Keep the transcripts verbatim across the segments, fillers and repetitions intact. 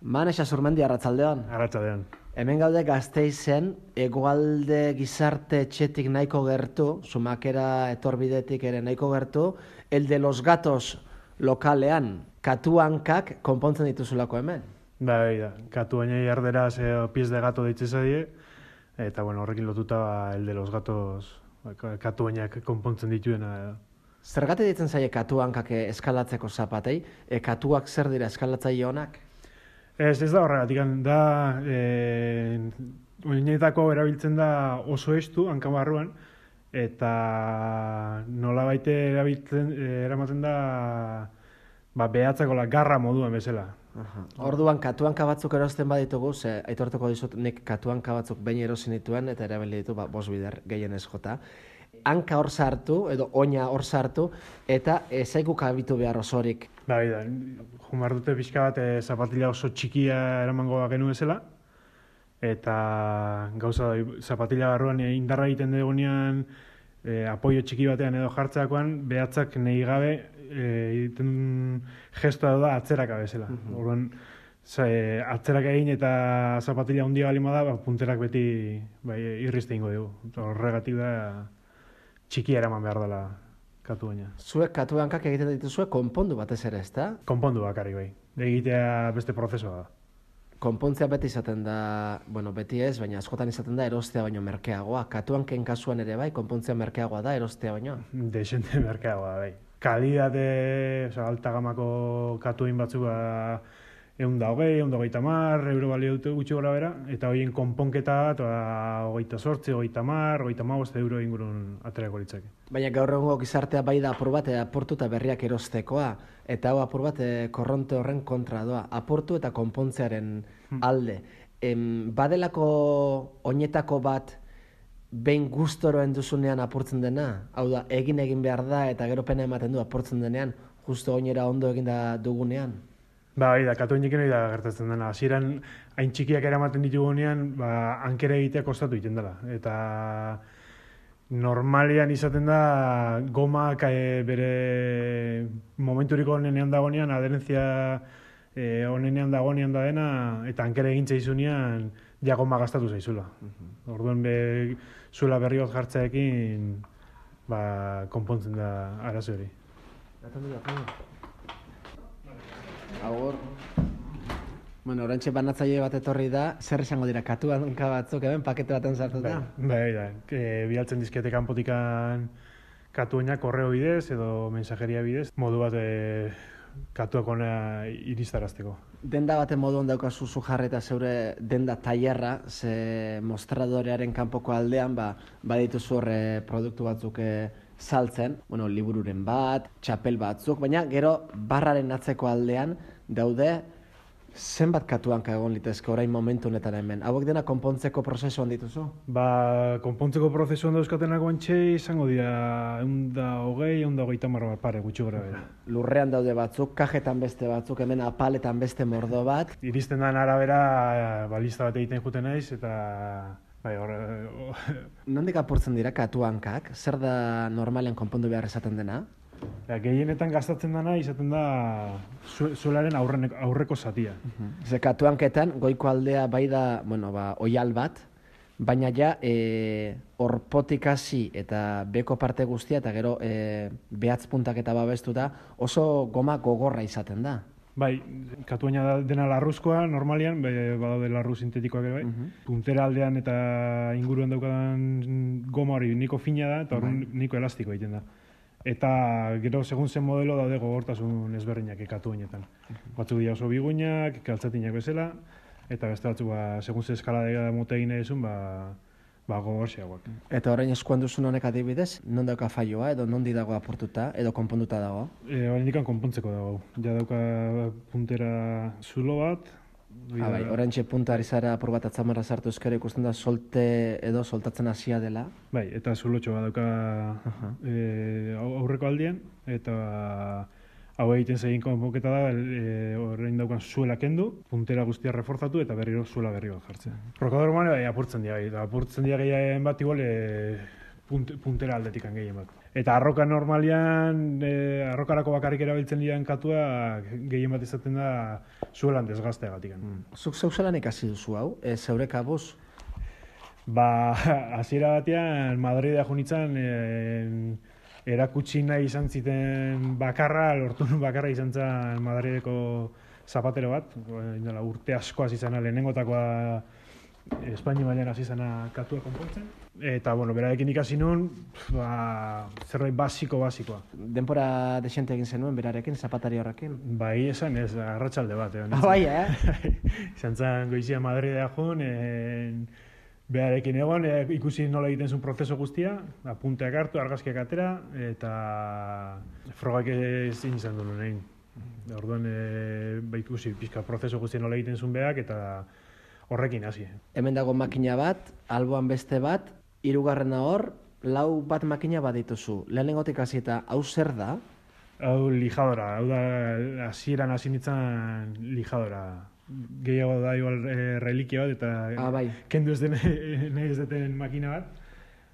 Manexa Zurmendi, arratsaldeon. Arratsaldeon. Hemen gaude Gasteizen, hegoalde gizarte etxetik nahiko gertu, Zumakera etorbidetik ere nahiko gertu, el de los gatos lokalean, katuankak konpontzen dituzulako hemen. Bai, da, katuainei erderaz e, pies de gato deitze zaie, eta bueno, horrekin lotuta ba, el de los gatos katuainak konpontzen dituena edo. Zergatik ditzen zaie katuankak eskalatzeko zapatei? E, katuak zer dira eskalatzaile honak? Ez, ez da horregatik, da, e, oinetako erabiltzen da oso estu, hanka barruan, eta nolabait erabiltzen, eramaten da, ba, behatzakola garra moduan bezala. Aha. Orduan, katuanka batzuk erosten baditugu, ze aitortuko dizut nik katuanka batzuk behin erosin dituen, eta erabili ditu, ba, bost bider gehienez jota. Hanka hor sartu, edo oina hor sartu, eta ezaiku kabitu behar osorik. Bai, da, jumar dute pixka bat e, zapatila oso txikia eramango genu ezela, eta gauza da, zapatila barruan e, indarra egiten dugunean e, apoio txiki batean edo jartzeakoan, behatzak nahi gabe e, egiten gestoa da atzeraka bezala. Uh -huh. Orduan, e, atzerak egin eta zapatila handia balima da, ba, punterak beti bai, irrizte ingo dugu. Horregatik da txikia eraman behar dela katuaina. Zuek katuankak egiten dituzue konpondu batez ere, ezta? Konpondu bakarrik bai. Egitea beste prozesua da. Konpontzea beti izaten da, bueno, beti ez, baina askotan izaten da erostea baino merkeagoa. Katuanken kasuan ere bai, konpontzea merkeagoa da erostea baino. Desente merkeagoa bai. Kalidate, oza, alta gamako katuin batzuk ba, egun da hogei, egun da hogeita mar, euro balio dute gutxi gora bera, eta horien konponketa eta hogeita sortzi, hogeita mar, hogeita magost euro ingurun aterako litzake. Baina gaur egungo gizartea bai da apur bat apurtu eta berriak erostekoa, eta hau apur bat korronte horren kontra doa, apurtu eta konpontzearen alde. Em, badelako oinetako bat behin gustoroen duzunean apurtzen dena, hau da, egin egin behar da eta gero pena ematen du apurtzen denean, justo oinera ondo eginda dugunean. Ba, bai da, katuainekin hori da gertatzen dena. Hasieran hain txikiak eramaten ditugunean, ba, hankera egitea kostatu egiten dela. Eta normalian izaten da gomak e, bere momenturiko onenean dagonean, aderentzia e, onenean dagonean da dena, eta hankera egintza izunean ja goma gastatu zaizula. Uh-huh. Orduan be, zuela berri bat jartzeekin ba, konpontzen da arazo hori. Agur. Bueno, orantxe banatzaile bat etorri da, zer esango dira, katuanka batzuk hemen pakete baten sartuta? Bai, bai, da. E, bialtzen dizkete kanpotikan katuainak korreo bidez edo mensajeria bidez, modu bat e, katuak ona iristarazteko. Denda baten moduan daukazu zu jarreta zeure denda tailerra, ze mostradorearen kanpoko aldean, ba, badituzu horre produktu batzuk e, saltzen, bueno, libururen bat, txapel batzuk, baina gero barraren atzeko aldean daude zenbat katuanka egon litezke orain momentu honetan hemen. Hauek dena konpontzeko prozesuan dituzu? Ba, konpontzeko prozesuan dauzkatenak guantxe izango dira egun da hogei, egun da hogeita mar bat pare gutxi gora bera. Lurrean daude batzuk, kajetan beste batzuk, hemen apaletan beste mordo bat. Iristen den arabera, balista bat egiten juten naiz, eta bai, hor... Nondik apurtzen dira katuankak? Zer da normalean konpondu behar esaten dena? Ja, gehienetan gastatzen dena izaten da zuelaren aurreko zatia. Uh-huh. Ze katuanketan goiko aldea bai da, bueno, ba, oial bat, baina ja e, orpotik hasi eta beko parte guztia eta gero e, behatz puntak eta babestuta oso goma gogorra izaten da. Bai, katuaina dena larruzkoa, normalian, badaude larru sintetikoak ere bai. Uh-huh. Puntera aldean eta inguruan daukadan goma hori niko fina da, eta hori uh-huh. niko elastiko egiten da. Eta gero, segun zen modelo, daude gogortasun ezberdinak katuainetan. Uh-huh. Batzuk dira oso biguinak, kaltzatinak bezala, eta beste batzuk, ba, segun ze eskalada mote egin edizun, ba, ba gogorxeagoak. Eta orain eskuan duzun honek adibidez, non dauka faioa, edo nondi dago apurtuta, edo konponduta dago? E, Hora indikan konpontzeko dago. Ja dauka puntera zulo bat. Ah, bai, oraintxe punta ari zara apur bat atzamarra sartu ezkero ikusten da solte edo soltatzen hasia dela. Bai, eta zulotxo bat dauka uh-huh. e, aurreko aldian, eta hau egiten zegin konponketa da, e, orain daukan zuela kendu, puntera guztia reforzatu eta berriro zuela berri bat jartzen. Prokador mane bai, apurtzen dira, bai, apurtzen dira gehiagen bat igual, e, punt, puntera aldetikan gehien bat. Eta arroka normalian, e, arrokarako bakarrik erabiltzen dian katua gehien bat izaten da zuelan desgazteagatik. Mm. Zuk zeuzelan ikasi duzu hau, e, zeure kabuz? Ba, hasiera batean Madridea junitzen e, erakutsi nahi izan ziten bakarra, lortu nun bakarra izan zen Madrideko zapatero bat, indela, urte asko hasi zena lehenengotakoa Espainia mailan hasi zena katua konpontzen. Eta, bueno, berarekin ikasi nun, ba, zerbait basiko basikoa. Denpora desente egin zenuen berarekin, zapatari horrekin? Bai, esan ez, arratsalde bat. Eh, ah, bai, eh? Izan zen goizia Madridea joan, en, berarekin egon, e, ikusi nola egiten zuen prozeso guztia, apunteak hartu, argazkiak atera, eta frogak ezin izan duen egin. Orduan, e, ba, ikusi pixka prozeso guztia nola egiten zuen behak, eta horrekin hasi. Hemen dago makina bat, alboan beste bat, hirugarrena hor, lau bat makina bat dituzu. Lehenengotik hasi eta hau zer da? Hau lijadora, hau da hasieran hasi nintzen lijadora. Gehiago da igual e, reliquia bat eta ah, bai. kendu ez den nahi ez deten makina bat.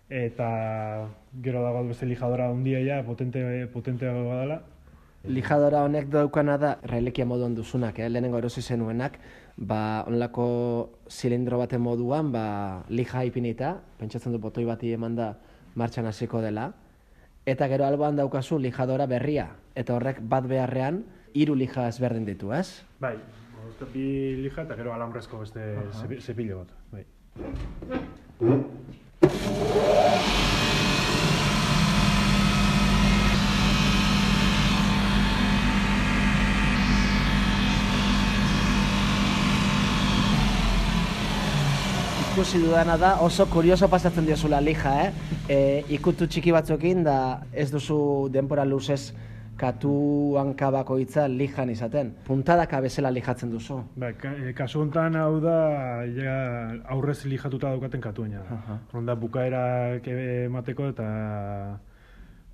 Eta gero dago beste lijadora handia ja, potente, potenteago badala. Lijadora honek daukana da, reliquia moduan duzunak, eh? Lehenengo erosi zenuenak, ba, onlako zilindro baten moduan, ba, lija ipinita, pentsatzen du botoi bati eman da martxan hasiko dela, eta gero alboan daukazu lijadora berria, eta horrek bat beharrean hiru lija ezberdin ditu, ez? Bai, bi lija eta gero alambrezko beste uh-huh. zepilo bat, bai. Ikusi dudana da, oso kurioso pasatzen diozula lija, eh? E, ikutu txiki batzuekin da ez duzu denpora luzez katu hankabako hitza lijan izaten. Puntadaka bezala lijatzen duzu. Ba, ka, e, kasu honetan hau da ja, aurrez lijatuta daukaten katuena. Uh-huh. Ronda bukaerak emateko eta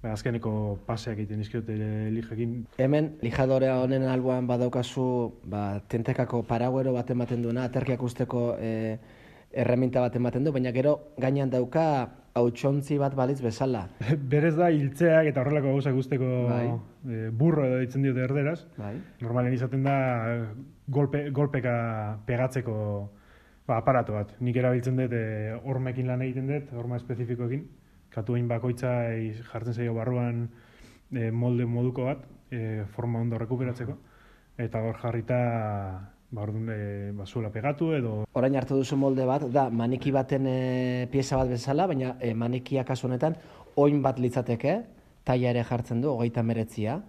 ba, azkeneko paseak egiten izkiot lijekin. Hemen, lijadore honen alboan badaukazu ba, tentekako paraguero bat ematen duena, aterkiak usteko e, erreminta bat ematen du, baina gero gainean dauka hautsontzi bat balitz bezala. Berez da hiltzeak eta horrelako gauzak guzteko bai. e, burro edo ditzen diote erderaz. Bai. Normalen izaten da golpe, golpeka pegatzeko ba, aparato bat. Nik erabiltzen dut e, hormekin lan egiten dut, horma espezifikoekin. Katuain bakoitza e, jartzen zaio barruan e, molde moduko bat, e, forma ondo rekuperatzeko. Eta hor jarrita ba, orduan, e, ba, zuela pegatu edo... Orain hartu duzu molde bat, da maniki baten e, pieza bat bezala, baina e, manikia kasu honetan oin bat litzateke, taila ere jartzen du, hogeita meretzia,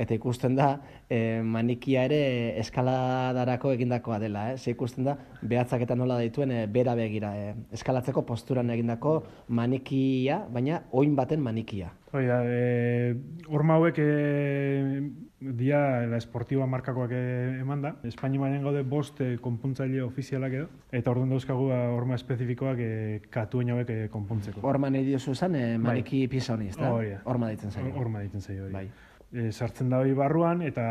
eta ikusten da e, manikia ere eskaladarako egindakoa dela, eh? Ze ikusten da behatzak eta nola dituen e, bera begira, e, eskalatzeko posturan egindako manikia, baina oin baten manikia. Hoi da, e, horma hauek e, dia la esportiba markakoak eman da. Espainia mailan gaude bost e, konpuntzaile ofizialak edo, eta orduan dauzkagu horma espezifikoak e, katuen hauek e, konpuntzeko. Horma nahi diozu esan, e, maniki bai. Pieza honi, ez da? Horma ditzen zaio. Horma ditzen zaio, hori. Bai. E, sartzen da hori barruan, eta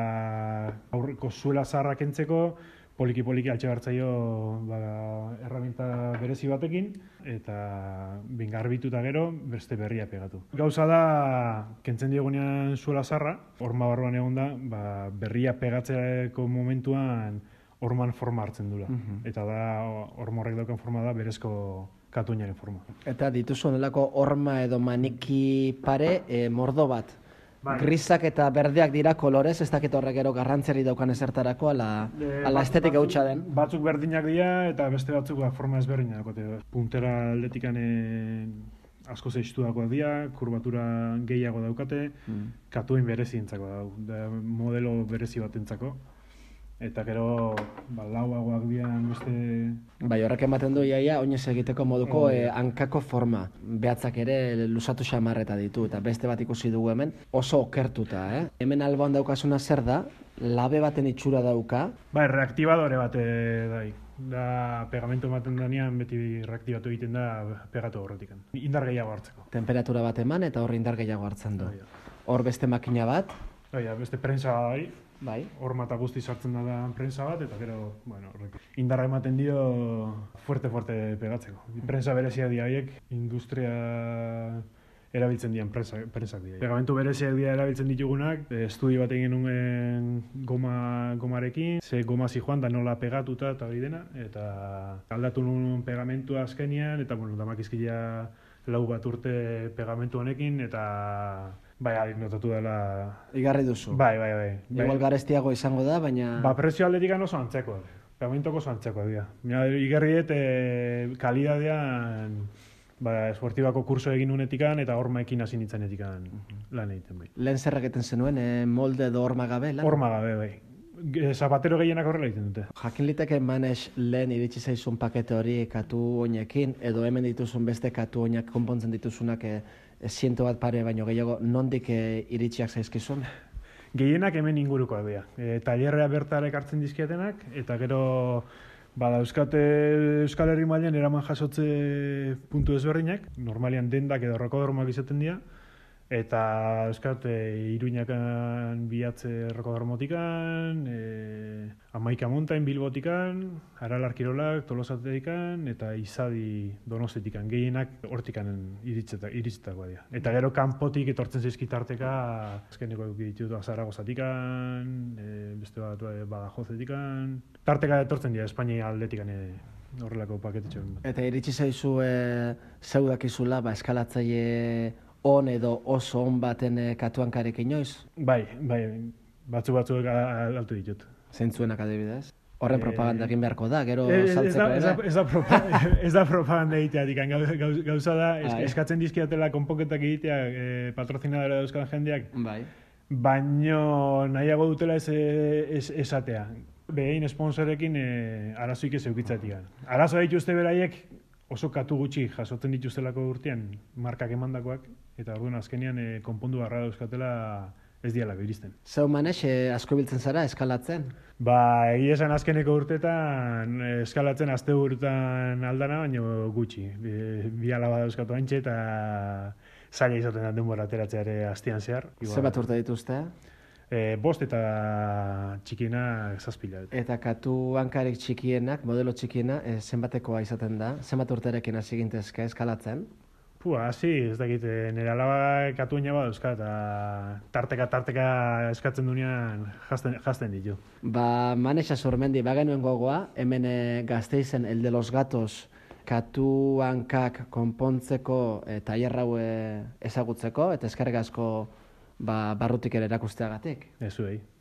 aurreko zuela zaharrak entzeko, poliki-poliki altxe hartzaio ba, erraminta berezi batekin, eta bingarbituta gero, beste berria pegatu. Gauza da, kentzen diogunean zuela zarra, horma barruan egon da, ba, berria pegatzeko momentuan horman forma hartzen dula. Uh-huh. Eta da, horma horrek daukan forma da, berezko katuinaren forma. Eta dituzu onelako horma edo maniki pare e, mordo bat. Bai. Grisak eta berdeak dira kolorez, ez dakit horrek gero garrantzeri daukan ezertarako, ala, e, ala estetika hutsa den. Batzuk berdinak dira eta beste batzuk ba, forma ezberdinak dagote. Puntera aldetikan asko zeistu dagoak dira, kurbatura gehiago daukate, mm. Katuin berezi entzako da, modelo berezi bat entzako. Eta gero ba, lauagoak dian beste... Bai, horrek ematen du iaia, oinez egiteko moduko oh, eh, hankako forma. Behatzak ere luzatu xamarreta ditu, eta beste bat ikusi dugu hemen, oso okertuta, eh? Hemen alboan daukasuna zer da, labe baten itxura dauka. Bai, reaktibadore bat dai. Da, pegamento ematen danean beti reaktibatu egiten da pegatu horretik. Indar gehiago hartzeko. Temperatura bat eman eta hor indar gehiago hartzen du. Hor beste makina bat. Bai, beste prensa bai. Bai. Horma eta guzti sartzen da prensa bat, eta gero, bueno, horrek indarra ematen dio fuerte-fuerte pegatzeko. Prensa berezia di haiek, industria erabiltzen dian prensa, prensak dira. Pegamentu bereziak dira erabiltzen ditugunak, estudio bat egin nuen goma, gomarekin, ze goma zijoan da nola pegatuta eta hori dena, eta aldatu nuen pegamentua azkenian, eta bueno, damakizkia lau bat urte pegamentu honekin, eta bai, notatu dela... Igarri duzu. Bai, bai, bai. Igual garestiago izango da, baina... Ba, prezio aldetik oso antzekoak. Pegamentuko oso antzekoak dira. Mira, igarriet, e, kalidadean... Ba, esportibako kurso egin unetikan eta hormaekin hasi nintzanetikan lan egiten bai. Lehen zer egiten zenuen, e, molde edo horma gabe lan? Horma gabe bai. Zapatero gehienak horrela egiten dute. Jakin liteke manez lehen iritsi zaizun pakete hori katu oinekin, edo hemen dituzun beste katu oinak konpontzen dituzunak e, e, ziento bat pare baino gehiago, nondik e, iritsiak zaizkizun? Gehienak hemen ingurukoak dira. E, tailerrea bertara ekartzen dizkietenak, eta gero... Bada, Euskate, Euskal Herri mailan eraman jasotze puntu ezberdinak, normalian dendak edo rokodormoak izaten dira, eta Euskate Iruñakan bihatze rokodormotikan, e, Amaika Montain Bilbotikan, Aralar Kirolak Tolosatetikan, eta Izadi Donostetikan, gehienak hortikan iritsetakoa dira. Eta gero kanpotik etortzen zaizkitarteka, azkeneko ditut Zaragozatikan, e, beste bat Badajozetikan, tarteka etortzen dira Espainia aldetikan e, horrelako paketetxo. Eta iritsi zaizu e, zeudakizula, ba, eskalatzaile on edo oso on baten e, katuankarek inoiz? Bai, bai, batzu batzuek altu ditut. Zeintzuenak adibidez? Horren propaganda egin beharko da, gero ez, saltzeko ez da, ere? Ez da, propa, ez da propaganda egiteatik, gauz, gauza da, es, Ai. eskatzen dizkiatela konponketak egitea e, patrozinadora dauzkan jendeak, Bai. baino nahiago dutela ez, ez esatea. Behin sponsorekin e, arazoik ez eukitzatik. Arazoa dituzte beraiek oso katu gutxi jasotzen dituztelako urtean markak emandakoak, eta orduan azkenean e, konpondu barra dauzkatela ez dialako iristen. Zeu manez, e, asko biltzen zara eskalatzen? Ba, egia esan azkeneko urtetan e, eskalatzen aste urtetan aldana, baino gutxi. E, bi alaba dauzkatu antxe eta zaila izaten da denbora ateratzeare astean zehar. Zenbat urte dituzte? E, bost eta txikiena zazpila. Eta katu hankarik txikienak, modelo txikiena, e, zenbatekoa izaten da? Zenbat urterekin hasi gintezke eskalatzen? Pua, hasi, ez dakit, nire alaba katuina bat euska, eta tarteka-tarteka eskatzen duenean jazten, jazten ditu. Ba, Manexa Sormendi, bagenuen gogoa, hemen e, Gasteizen El de los Gatos katu hankak konpontzeko e, tailer hau e, ezagutzeko, eta eskerrik asko ba, barrutik ere erakusteagatik. Ez zuei.